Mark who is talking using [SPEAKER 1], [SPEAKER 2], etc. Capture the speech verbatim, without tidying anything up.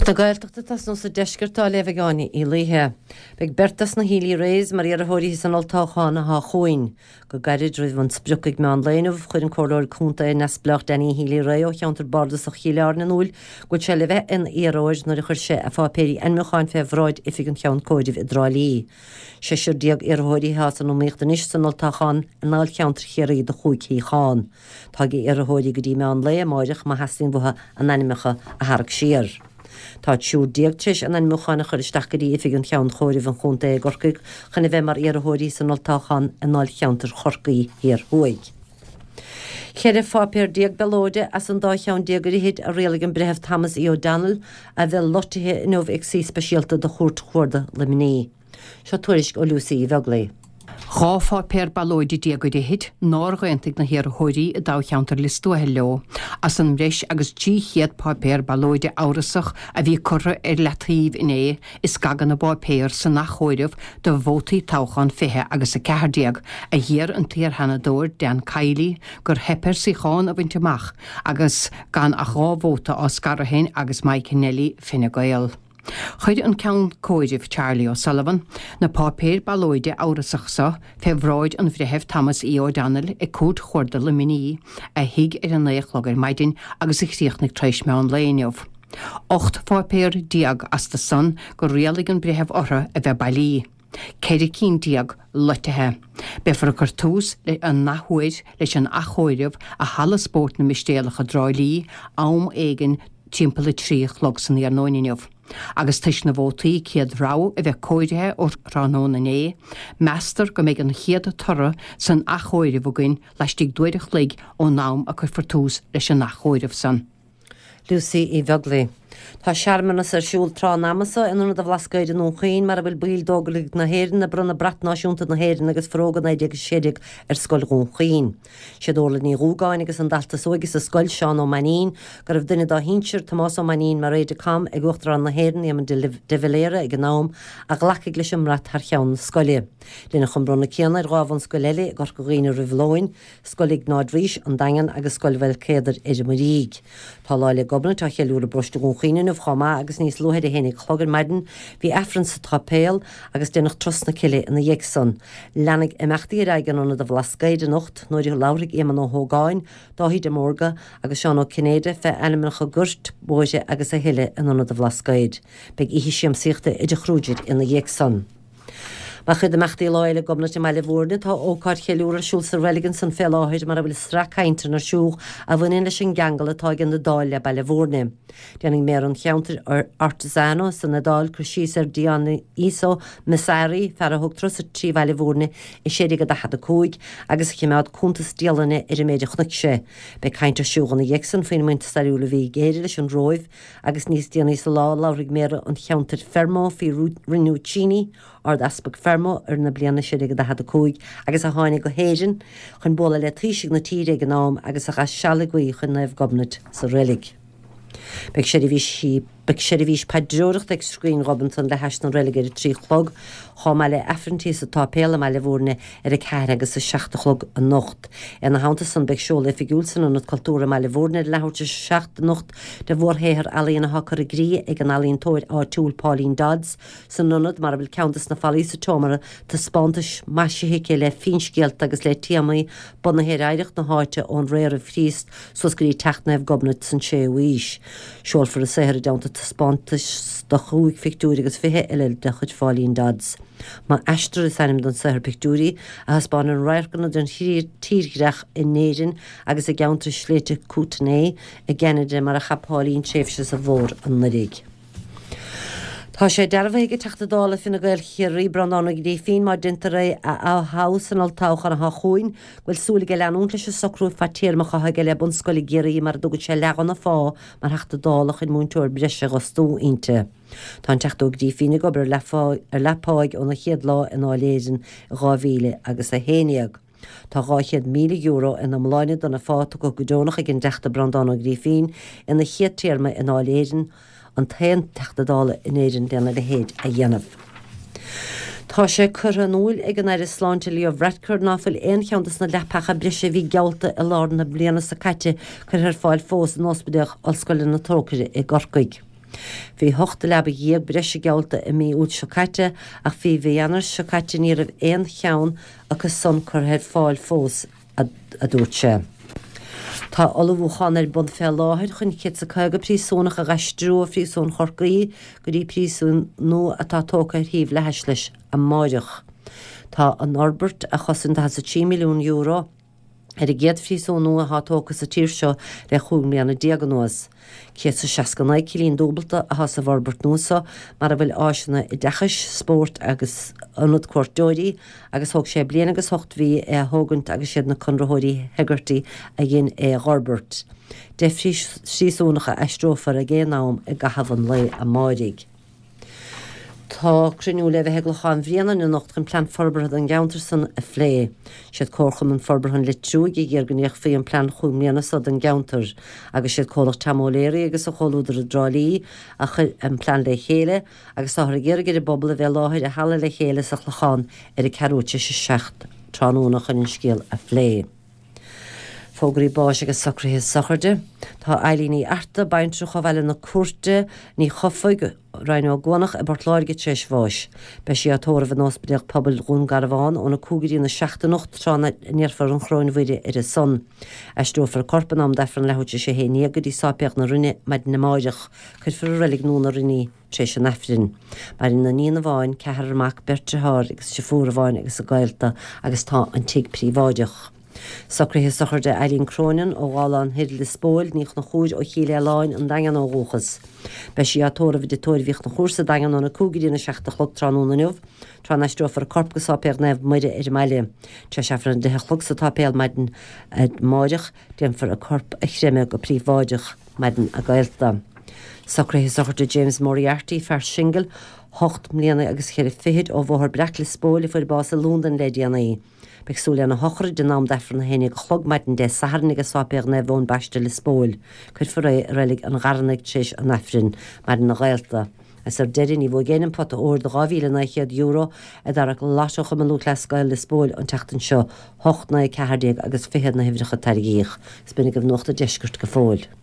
[SPEAKER 1] Na Gaeltachta tosnú sa deisceart á léamh ag Áine Uí Laoithe. Beidh beirt as na Healy-Raes mar iarrthóirí san olltoghchán atá chugainn. Go gairid roimh an sprioc ag meán lae inniu, chuir an Comhairleoir Contae neamhspleách Danny Healy-Rae ó cheantar bardasach Chill Airne in iúl go bhfuil sé le bheith ina iarrthóir nuair a chuir sé a pháipéirí ainmniúcháin fé bhráid Oifig an Cheann Comhairimh i dTrá Lí. Seisear déag iarrthóirí atá san iomaíocht anois san olltoghchán i ndáilcheantar Chiarraí do chúig shuíochán. Tá ag iarrthóirí go dtí meán lae amáireach má theastaíonn uathu a n-ainmneacha a tharrac siar. Tá triúr déag tar éis a n-ainmniúcháin a chur isteach go dtí Oifig an Cheann Chomhairimh an Chontae i gCorcaigh chun a bheith mar iarrthóirí san olltoghchán i ndáilcheantar Chorcaí Thiar Thuaidh. Ceithre pháipéar déag ballóide as an dá cheann déag ar fhichid a rialaigh an Breitheamh Thomas E. O'Donnell a bheidh loitithe inniu ag suí speisialta de Chúirt Chuarda Luimnigh. Seo tuairisc ó Lucy Uí Bheaglaoi.
[SPEAKER 2] Dhá pháipéar ballóide déag ar fhichid nár aontaigh na hiarrthóirí i dtoghcheantar Lios Tuathail leo, as an mbreis agus trí chéad páipéar ballóide amhrasach a bhí curtha ar leataobh inné i scaganna páipéir san athchomhaireamh do vótaí toghchán fiche agus a ceathair déag a d'iarr an t-iar-Sheanadóir Dan Kiely gur theip air suíochán a bhaint amach agus gan ach dhá vóta á scaradh féin agus Mike Kennelly Fine Gael. Chuir an Ceann Comhairimh Charlie O'Sullivan na páipéir ballóide amhrasach seo fé bhráid an Bhreithimh Thomas E. O'Donnell ag Cúirt Chuarda Luimnigh a shuigh ar a naoi a chlog ar maidin agus a chríochnaigh tar éis meán lae inniu. Ocht pháipéar déag astu san gur rialaigh an breitheamh orthu a bheith bailí. Ceithre cinn déag loitithe. Beifear ag cur tús le an athuair leis an athchomhaireamh i Halla Spóirt na Mistéalach i dTrá Lí am éigin timpeall a trí a chlog san iarnóin inniu. Agus toisc na vótaí céad rogha a bheith comhairithe ó thráthnóna inné, meastar go mbeidh an chéad toradh san athchomhaireamh againn laistigh d'uair a chloig ón am a cuirfear tús leis an athchomhaireamh san.
[SPEAKER 1] Lucy Uí Bheaglaoi. Tá searmanas ar siúl tráth an ama seo in Ionad an Bhlascaoid i nDún Chaoin mar a bhfuil baill d'Óglaigh na hÉireann ag bronnadh brat náisiúnta na hÉireann agus Forógra naoi déag a sé déag ar Scoil Dhún Chaoin. Siad Orla Ní Dhúgáin agus an dalta is óige sa scoil, Seán Ó Mainnín, go raibh duine dá shinsir, Tomás Ó Mainnín, mar aide-de-camp ag Uachtarán na hÉireann, Éamon de Valera ag an am, a ghlacfaidh leis an mbrat thar cheann na scoile. Deineadh an bronnadh céanna ar dhá bhunscoil eile i gCorca Dhuibhne roimh lóin, Scoil Iognáid Rís, An Daingean agus Scoil Mhaolcéadair, ar an Muirígh. Tá Lá 'le Gobnait á cheiliúradh i bparóiste Dhún Chaoin inniu chomh maith agus níos luaithe ar a haon a chlog ar maidin bhí Aifreann sa tsáipéal agus deineadh turas na cille ina dhiaidh san. Leanfaidh imeachtaí ar aghaidh in Ionad an Bhlascaoid anocht nuair a labharfaidh Éamonn Ó hÓgáin, Dáithí de Mórdha agus Seán Ó Cinnéide fé ainmneacha goirt, bóithre agus a thuilleadh in Ionad an Bhlascaoid. Beidh oíche siamsaíochta i dTigh Kruger ina dhiaidh san. Mar chuid d'imeachtaí Lá Fhéile Gobnait i mBaile Bhúirne, tá ócáid cheiliúradh ar siúl sa reilig ansan fé láthair mar a bhfuil sraith cainteanna ar siúl a bhaineann leis an gceangal atá ag an Iodáil le Baile Bhúirne. Déanfaidh méara an cheantair Ortisano san Iodáil cur síos ar Dioniso Missari, fear a thug turas trí Bhaile Bhúirne i sé déag daichead a cúig agus a choimeád cuntas dialainne ar an méid a chonaic sé. Beidh caint ar siúl ina dhiaidh san faoin mbaint stairiúil a bhí ag Éire leis an Róimh agus níos déanaí sa lá labharfaidh méara an cheantair Fermo faoi Rinuccini, Ard-Easpag Fermo ar na bliana sé déag daichead a cúig agus a tháinig go hÉirinn chun bualadh le taoisigh na tíre ag an am agus a chaith seal ag guí chun Naomh Gobnait sa reilig. Beidh seirbhísí Beidh seirbhís paidreoireachta ag Scrín Ghobnatan le hais na reilige ar a trí chlog, chomh maith le Aifrinntí sa tsáipéal i mBaile Bhúirne ar a ceathair agus a seacht a chlog anocht. Ina theannta san beidh seoladh oifigiúil san Ionad Cultúrtha i mBaile Bhúirne ar leathuair tar éis a seacht anocht de mhórshaothar ealaíon atá curtha i gcrích ag an ealaíontóir áitiúil Pauline Dodds san ionad mar a bhfuil ceann de na fallaí sa tseomra taispeántais maisithe aici le finscéalta agus le téamaí bunaithe ar oidhreacht na háite ón ré roimh Chríost suas go dtí teacht Naomh Gobnait san séú haois. Seolfar a saothar i dteannta taispeántais de chúig phictiúr agus fiche eile de chuid Pháulín Dodds. M'aistear is ainm don saothar pictiúirí a thaispeánann radharcanna den tírdhreach in Éirinn agus i gceantar sléibhte Kootenay i gCeanada mar a chaith Pauline tréimhse sa bhfómhar anuraidh. Tá sé dearbhaithe ag an Teachta Dála Fine Gael Chiarraí Breandán Ó Grífín má déantar é a thoghadh san olltoghchán atá chugainn go bhfuil súil aige leanúint leis an socrú fadtéarmach atá aige le bunscoil i gCiarraí mar a dtugann sé leath dhona phá mar Theachta Dála chun múinteoir breise a fhostú inti. Tá an Teachta Ó Grífín ag obair ar leathpháigh óna chéad lá i nDáil Éireann i dhá mhíle agus a haon déag. Tá dhá chéad míle euro ina iomláine dona phá tugtha go deonach ag an dTeachta Breandán Ó Grífín ina chéad téarma i nDáil Éireann, an t-aon Teachta Dála in Éirinn lena leithéid a dhéanamh. Tá sé curtha in iúl ag an Aire Sláinte Leo Varadkar ná fuil aon cheann des na leapacha breise a bhí geallta i lár na bliana seo caite curtha ar fáil fós in Ospidéal Ollscoile na Trócaire i gCorcaigh. Bhí ocht leaba dhéag breise geallta i mí Iúil seo caite ach faoi mhí Eanáir seo caite ní raibh aon cheann acu san curtha ar fáil fós, a dúirt sé. Tá ullmhúchán ar bun fé láthair chun céad is caoga príosúnach a dh'aistriú ó phríosún Chorcaí go dtí príosún nua atá tógtha ar thaobh leathais leis amáireach. Tá an fhorbairt a chosain daichead is a trí milliún euro ar an gcéad phríosún nua atá tógtha sa tír seo le chúig mbliana déag anuas. Céad is seasca naoi cillín dúbalta atá sa bhforbairt nua seo mar a bhfuil áiseanna oideachais, spóirt agus ionad cuairteoirí agus thóg sé bliain agus ocht mhí é a thógaint agus siad na conraitheoirí Hegarty a dhein é a dh'fhorbairt. Deich phríosúnach a aistreofar ag aon am i gcaitheamh an lae amáirigh. Tá cruinniú le bheith i gClochán Bhréanainn anocht chun plean forbartha don gceantar san a phlé. Siad Comharchumann Forbartha an Leitriúigh a d'iarr go ndéanfaí an plean chúig mbliana so don gceantar agus siad comhlacht Tom O'Leary agus a chomhluadar i dTrá Lí a chuir an plean le chéile agus táthar ag iarraidh ar an bpobal a bheith i láthair i Halla Le Chéile sa Chlochán ar a ceathrú tar éis a seacht tráthnóna chun an scéal a phlé. Fógraí báis agus socruithe sochraide. Tá Eileen Ní Fhearta, baintreach ó Bhaile na Cúirte, Ní Chofaigh, Rinn Ó gCuanach i bPort Láirge tar éis bháis. Beidh sí á tórramh in Ospidéal Pobail Dhún Garbhán óna cúig go dtí a seacht anocht tráth a ndéarfar an Choróin Mhuire ar a son. Aistreofar a corp in am d'Aifreann leathuair tar éis a haon déag go dtí Sáipéal na Rinne maidin amáireach. Cuirfear i Reilig Nua na Rinne í tar éis an Aifrinn. Maireann iníon amháin, ceathrar mac, beirt dearthár agus deirfiúr amháin agus a gaolta agus tá an tigh príobháideach. Socruithe sochraide Eileen Cronin ó Ghabhlán Thoir Lios Póil, Ní Chonchúir ó Chill Aoláin an Daingean ó dhúchas. Beidh sí á tórramh i dTigh Tórraimh Uí Chonchúir sa Daingean óna cúig go dtí a seacht a chlog tráthnóna inniu, tráth a n-aistreofar a corp go Sáipéal Naomh Muire ar an mbaile. Tar éis Aifreann a deich a chlog sa tsáipéal maidin amáireach, déanfar a corp a chreimeadh go príobháideach maireann a gaolta. Socruithe sochraide James Moriarty, fear singil, hocht mbliana agus ceithre fichid ó Bhóthar Breac Lios Póil a fuair bás i Londain le déanaí. Beidh súil lena shochraid in am d'Aifreann a haon déag a chlog maidin Dé Sathairn ag Sáipéal Naomh Eoin Baiste Lios Póil. Cuirfear é i Reilig an Gharranaigh tar éis an Aifrinn, maireann a ghaolta. Is ar deireadh ní bhuaigh éinne an pota óir de dhá mhíle naoi chéad euro a d'arrac Lotto Chumann Lúthchleas Gael Lios Póil an tseachtain seo, hocht naoi ceathair déag agus fiche na huimhreacha a tarraingíodh. Is b'in agaibh Nuacht an Deiscirt go fóill.